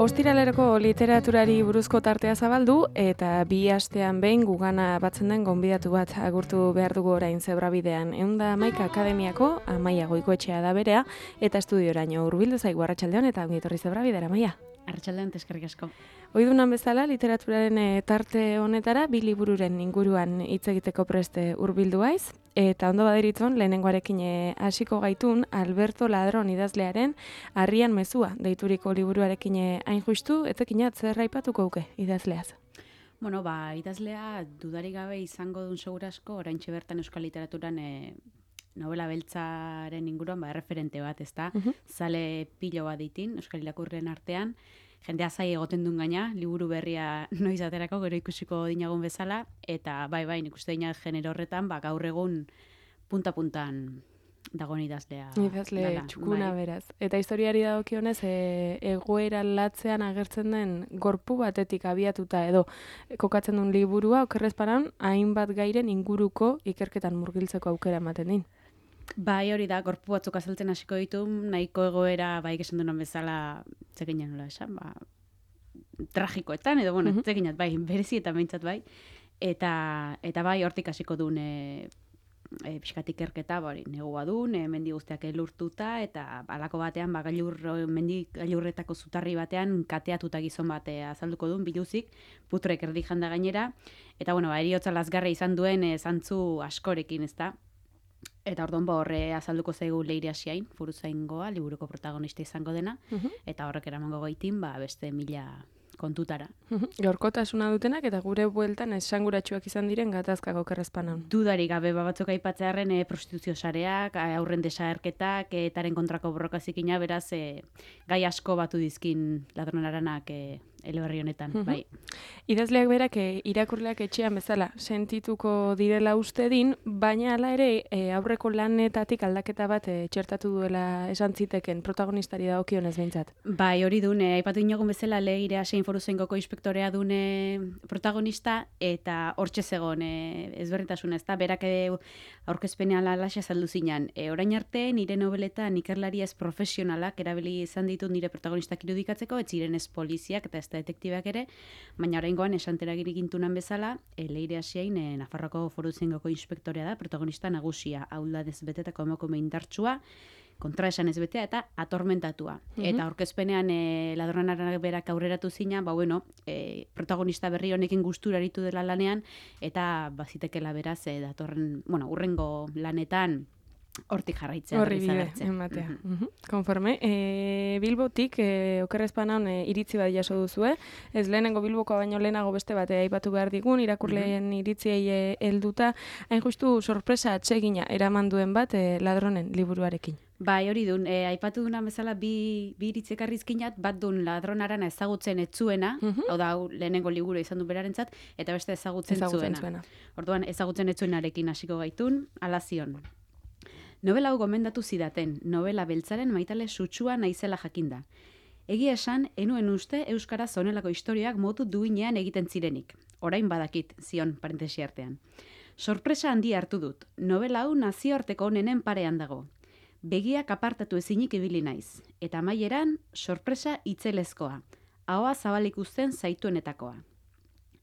Ostiraleroko literaturari buruzko tartea zabaldu eta 2 astean behin gugana batzen den gonbidatu bat agurtu behar dugu orain Zebrabidean. 111 Akademiako Amaia Goikoetxea da berea eta estudioraino hurbildu zaigu. Arratsaldeon eta ongi etorri Zebrabidera, Amaia. Arratsaldeon, eskerrik asko. Ohidunan bezala literaturaren tarte honetara 2 libururen inguruan hitz egiteko preste hurbildu haiz. Eta ondo baderitzon, lehenengoarekin hasiko gaitun Alberto Ladron idazlearen Harrian mezua deituriko liburuarekin hain justu, etekinat zer aipatuko uke idazleaz? Bueno, idazlea dudarik gabe izango dun segurasko, oraintxe bertan euskal literaturan novela beltzaren inguruan referente bat, ezta? Zale pilo bat ditin, euskal irakurren artean, jendea zai egoten duen gaina, liburu berria noiz aterako, gero ikusiko dinagun bezala, eta bai, nik uste dina genero horretan, gaur egun punta-puntan dagoen idazlea. Idazle txukuna beraz. Eta historiari dagokionez, egoera latzean agertzen den gorpu batetik abiatuta edo kokatzen duen liburua, okerrezparan, hainbat gairen inguruko ikerketan murgiltzeko aukera ematen din. Bai, hori da, gorpu batzuk azaltzen hasiko ditu, nahiko egoera, esan duen bezala, zekinan nola esan, tragikoetan, edo, zekinat, berezi eta behintzat bai, eta bai, hortik hasiko duen pixkatik ikerketa, negua duen, mendi guztiak elurtuta, eta alako batean, mendi gailurretako zutarri batean, kateatuta gizon bat azalduko duen, biluzik, putrek erdi janda gainera, eta, eriotza lazgarra izan duen zantzu askorekin, ezta? Eta orduan horre azalduko zaigu Leire Asiain, Furuzaingoa, liburuko protagonista izango dena, eta horrek eramango gaitin, beste 1000 kontutara. Gaurkotasuna dutenak eta gure bueltan esanguratsuak izan diren gatazkak okerrezpanan. Dudarik gabe batzuk aipatzearen prostituzio sareak, aurren desagerketak, etaren kontrako borrokazikina, beraz gai asko batu dizkin Ladron-aranak eleberri honetan, bai. Idazleak berak irakurleak etxean bezala sentituko direla uste din, baina hala ere aurreko lanetatik aldaketa bat txertatu duela esan ziteken protagonistari dagokionez behintzat. Bai, hori dune, aipatu inogun bezala Leire Asiain Foruzaingoko inspektorea dune protagonista, eta hortxe zegoen ezberdintasuna, ezta, berak aurkezpenean alaxe azaldu zinan. Orain arte, nire nobeletan ikerlari ez profesionalak erabili izan ditu nire protagonistak irudikatzeko, ez ziren ez poliziak eta ez detektibak ere, baina oraingoan esanteragiri gintunan bezala, Leire Asiain Nafarroako Foruzaingoko inspektorea da, protagonista nagusia, auldadez betetako emakume indartsua, kontra esan ez betea eta atormentatua. Eta aurkezpenean Ladron-aranak berak aurreratu zina, protagonista berri honekin gustura aritu dela lanean, eta bazitekela beraz, datorren, urrengo lanetan, hortik jarraitzea. Horri bide, ematea. Konforme. Bilbotik, okerrezpanan iritzi bat jaso duzue. Ez lehenengo Bilbokoa baino lehenago beste bat aipatu behar digun, irakurleen iritziei helduta, hain justu sorpresa atsegina eraman duen bat Ladronen liburuarekin. Bai, hori dun, aipatu duna bezala bi iritzekarrizkinat, bat dun Ladron-arana ezagutzen etzuena, hau da, lehenengo liburu izan du berarentzat, eta beste ezagutzen zuena. Orduan, ezagutzen etzuenarekin hasiko gaitun, alazion. Novela hau gomendatu zidaten, novela beltzaren maitale sutsua naizela jakinda. Egia esan, enuen uste euskaraz honelako historiak modu duinean egiten zirenik. Orain badakit, zion parentesi artean. Sorpresa handi hartu dut. Novela hau nazioarteko onenen parean dago. Begiak apartatu ezinik ibili naiz. Eta amaieran, sorpresa itzelezkoa. Ahoa zabalik uzten zaituenetakoa.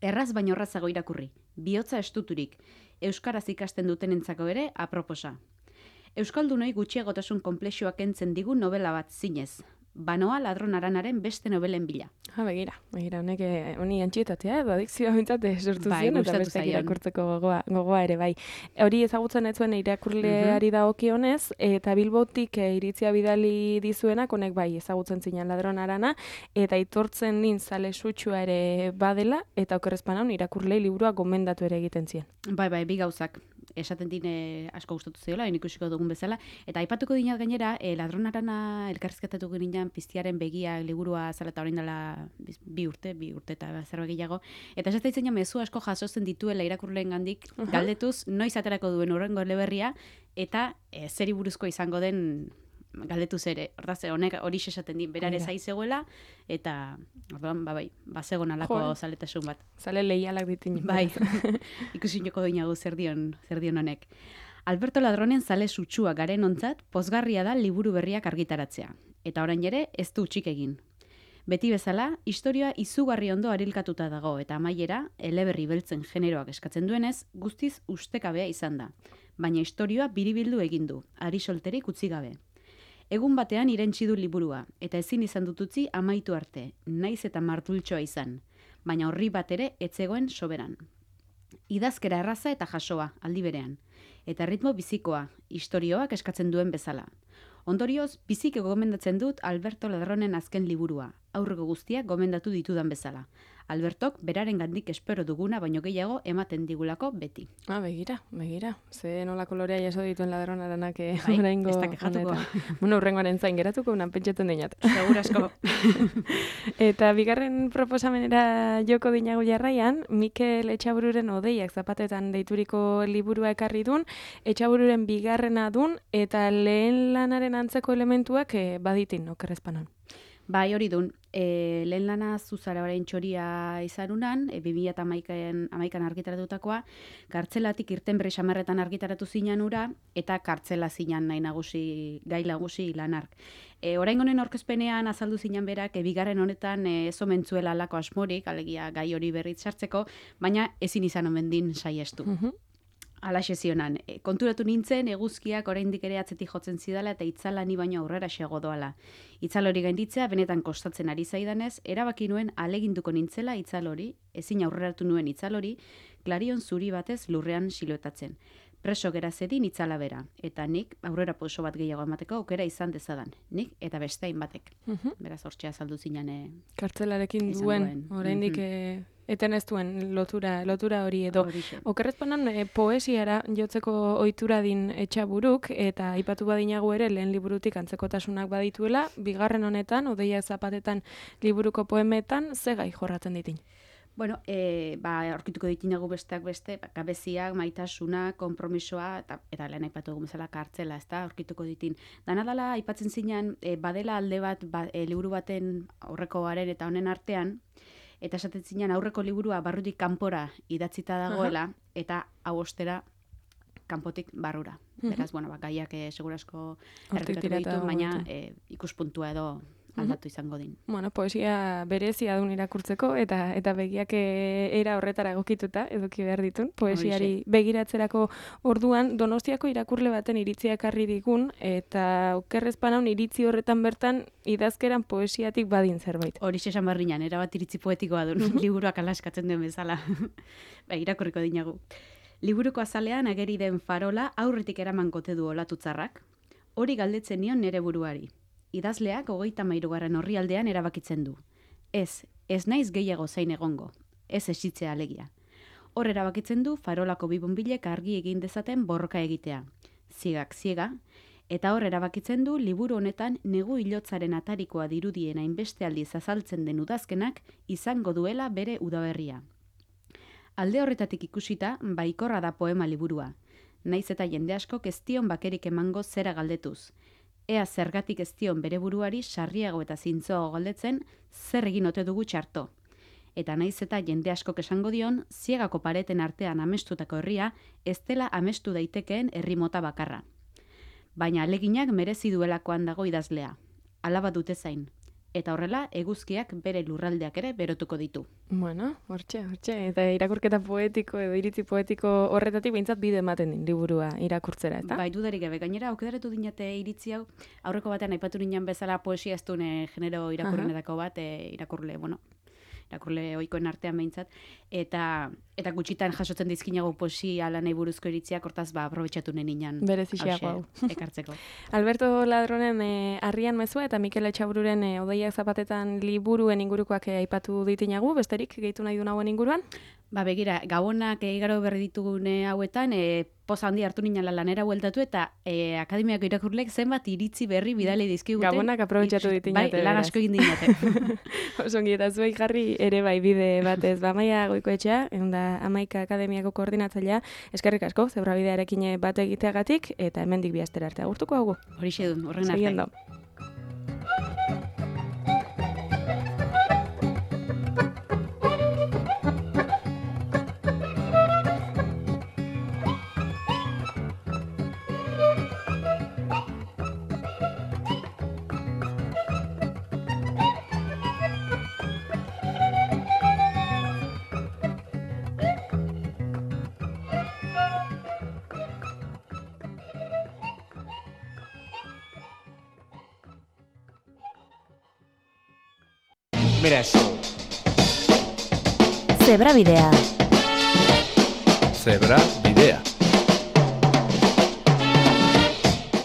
Erraz baino errazago irakurri. Bihotza estuturik. Euskaraz ikasten dutenentzako ere aproposa. Euskaldunoi gutxiagotasun konplexuak entzen digu novela bat zinez. Banoa Ladron-aranaren beste novelen bila. Begira, honek honi antxietatea edo adikzioa bintzat sortu zion, eta beste irakurtzeko gogoa ere, bai. Hori ezagutzen ez zuen irakurleari dagokionez, eta Bilbotik iritzia bidali dizuenak, honek bai ezagutzen zinan Ladron-arana, eta itortzen din zale sutsua ere badela, eta okerrezpanan irakurlei liburua gomendatu ere egiten zien. Bai, bi gauzak. esaten dine asko gustatu ziola, ikusiko dugun bezala, eta aipatuko dinat gainera, ladronarana elkarrizketatu ginen Piztiaren begia liburua zela eta orain dela bi urte eta zerbait gehiago, eta esaten ditzen mezu asko jasotzen dituela irakurleen gandik, galdetuz noiz aterako duen hurrengo eleberria, eta zeri buruzko izango den galdetuz ere. Hortaz, honek hori esaten din, berare zaizegoela, eta orduan, bazegon alako zaletasun bat. Zale leialak ditin. Bai, ikusin joko dinagu zer dion honek. Alberto Ladronen zale sutsua garen ontzat, pozgarria da liburu berriak argitaratzea. Eta orain ere, ez du utzik egin. Beti bezala, historia izugarri ondo arilkatuta dago, eta amaiera, eleberri beltzen generoak eskatzen duenez, guztiz ustekabea izan da. Baina historioa biribildu egin du, ari solterik utzi gabe. Egun batean irentsi du liburua, eta ezin izan dututzi amaitu arte, naiz eta martultxoa izan, baina horri bat ere etzegoen soberan. Idazkera erraza eta jasoa, aldi berean, eta ritmo bizikoa, istorioak eskatzen duen bezala. Ondorioz, biziki gomendatzen dut Alberto Ladronen azken liburua, aurreko guztiak gomendatu ditudan bezala. Albertok beraren gandik espero duguna, baino gehiago ematen digulako beti. Begira. Ze nola kolorea jaso dituen Ladronaranak oraingo honetan. Urrengoaren zain geratuko, unan pentsatzen dinat. Segur asko. Eta bigarren proposamenera joko dinagu jarraian, Mikel Etxabururen Odeiak zapatetan deituriko liburua ekarri dun, Etxabururen bigarrena dun, eta lehen lanaren antzeko elementuak baditin, okerrezpanon. Bai, hori dun. Lehen lana Zuzara orain txoria izarunan, 2011an argitaratutakoa, kartzelatik irten berri xamarretan argitaratu zinan ura, eta kartzela zinan gai nagusi lanark. Orain honen aurkezpenean azaldu zinan berak, bigarren honetan ez omentzuela alako asmorik, alegia gai hori berriz sartzeko, baina ezin izan omen din saiestu. Alaxe zionan, konturatu nintzen eguzkiak oraindik ere atzetik jotzen zidala eta itzala ni baino aurrera xego doala. Itzal hori gainditzea benetan kostatzen ari zaidanez, erabaki nuen aleginduko nintzela itzal hori, ezin aurreratu nuen itzal hori, klarion zuri batez lurrean siluetatzen. Preso gera zedin itzala bera, eta nik aurrera pauso bat gehiago emateko aukera izan dezadan. Nik eta beste hainbatek. Beraz hortxea saldu zinan. Kartzelarekin duen, oraindik eten ez duen lotura hori edo. Okerrezpanan poesiara jotzeko ohitura din Etxaburuk, eta aipatu badinagu ere lehen liburutik antzekotasunak badituela, bigarren honetan, Odeiak zapatetan liburuko poemetan, ze gai jorratzen ditin? Bueno, aurkituko ditinagu besteak beste, gabeziak, maitasuna, konpromisoa, eta lehen aipatu dugun bezala kartzela, ezta, aurkituko ditin. Danadala, aipatzen zinean, badela alde bat, liburu baten aurrekoaren eta honen artean, eta esaten zinean aurreko liburua barrutik kanpora idatzita dagoela, eta hau ostera kanpotik barrura. Beraz, gaiak segurasko errepikatuko ditu, baina ikuspuntua edo aldatu izango din. Poesia berezia dun irakurtzeko, eta begiak era horretara egokituta eduki behar ditun. Poesiari begiratzerako orduan, Donostiako irakurle baten iritzia ekarri digun, eta okerrezpanaun iritzi horretan bertan idazkeran poesiatik badin zerbait. Hori esan barrinan, erabat iritzi poetikoa dun, liburuak alaskatzen duen bezala. Irakurriko dinagu. Liburuko azalean ageri den farola aurretik eraman kote du olatutzarrak. Hori galdetzen nion nere buruari. Idazleak 33. orrialdean erabakitzen du. Ez naiz gehiago zain egongo. Ez esitzea alegia. Hor erabakitzen du farolako bi bonbilek argi egin dezaten borroka egitea. Ziegak ziega, eta hor erabakitzen du liburu honetan negu ilotzaren atarikoa dirudien hainbeste aldiz azaltzen den udazkenak izango duela bere udaberria. Alde horretatik ikusita, baikorra da poema liburua. Naiz eta jende askok ez dion bakerik emango zera galdetuz. Ea zergatik ez dion bere buruari sarriago eta zintzoago galdetzen zer egin ote dugu txarto. Eta naiz eta jende askok esango dion, ziegako pareten artean amestutako herria ez dela amestu daitekeen herri mota bakarra. Baina aleginak merezi duelakoan dago idazlea. Alaba dute zain. Eta horrela, eguzkiak bere lurraldeak ere berotuko ditu. Hortxe. Eta irakurketa poetiko edo iritzi poetiko horretatik behintzat bide ematen din liburua irakurtzera, eta? Bai, dudarik gabe. Gainera, aukedaratu dinate iritzi hau, aurreko batean aipatu ninan bezala poesia ez dune genero irakurrenetako bat, irakurle ohikoen artean behintzat. Eta eta gutxitan jasotzen dizkinago posi ala nahi buruzko iritziak, hortaz aprobetxatu neninan. Berezixeago hau. Ekartzeko. Alberto Ladronen Harrian mezua eta Mikel Etxabururen Odeiak zapatetan liburuen ingurukoak aipatu ditinagu, besterik gehitu nahi du nagoen inguruan? Begira, gabonak igaro berri ditugune hauetan, poza handi hartu nina lanera bueltatu eta akademiako irakurlek zenbat iritzi berri bidali dizkiguten. Gabonak aprobetxatu ditinate. Lan asko egin dinate. Osongi, eta zuei jarri ere bai bide batez. Maia Goikoetxea, da Amaika Akademiako koordinatzailea, eskerrik asko, zebrabidearekin bat egiteagatik, eta hemendik bi astera arte agurtuko haugu. Horixe dun, horren arte. Seguiendo. Mira eso. Zebrabidea. Zebrabidea.